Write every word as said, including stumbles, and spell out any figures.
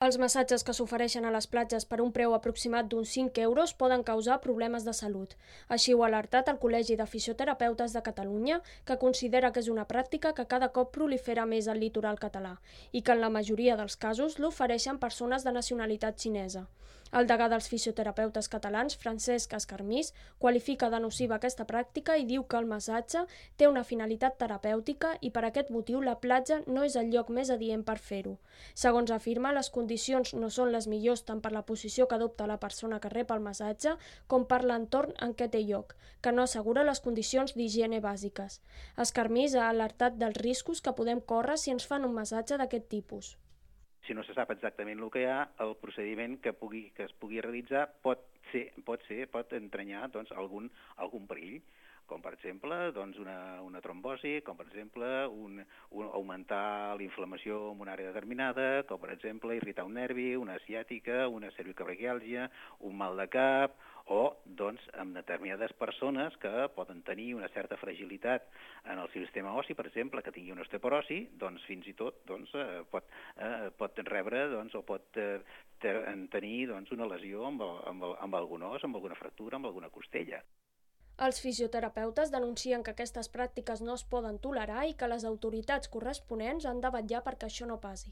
Els massatges que s'ofereixen a les platges per un preu aproximat d'uns cinc euros poden causar problemes de salut. Així ho ha alertat el Col·legi de Fisioterapeutes de Catalunya, que considera que és una pràctica que cada cop prolifera més al litoral català i que en la majoria dels casos l'ofereixen persones de nacionalitat xinesa. El degà dels fisioterapeutes catalans, Francesc Escarmís, qualifica de nociva aquesta pràctica i diu que el massatge té una finalitat terapèutica i per aquest motiu la platja no és el lloc més adient per fer-ho. Segons afirma, les condicions no són les millors tant per la posició que adopta la persona que rep el massatge com per l'entorn en què té lloc, que no assegura les condicions d'higiene bàsiques. Escarmís ha alertat dels riscos que podem córrer si ens fan un massatge d'aquest tipus. Si no se sap exactament el que hi ha, el procediment que, pugui, que es pugui realitzar pot ser, pot ser, pot entranyar doncs, algun, algun perill, com per exemple doncs una, una trombosi, com per exemple un, un, augmentar la inflamació en una àrea determinada, com per exemple irritar un nervi, una ciàtica, una cervicobraquiàlgia, un mal de cap, o doncs amb determinades persones que poden tenir una certa fragilitat en el sistema ossi, per exemple, que tingui una osteoporosi, doncs fins i tot doncs, eh, pot, eh, pot rebre doncs, o pot eh, tenir doncs, una lesió amb, el, amb, el, amb algun os, amb alguna fractura, amb alguna costella. Els fisioterapeutes denuncien que aquestes pràctiques no es poden tolerar i que les autoritats corresponents han de vetllar perquè això no passi.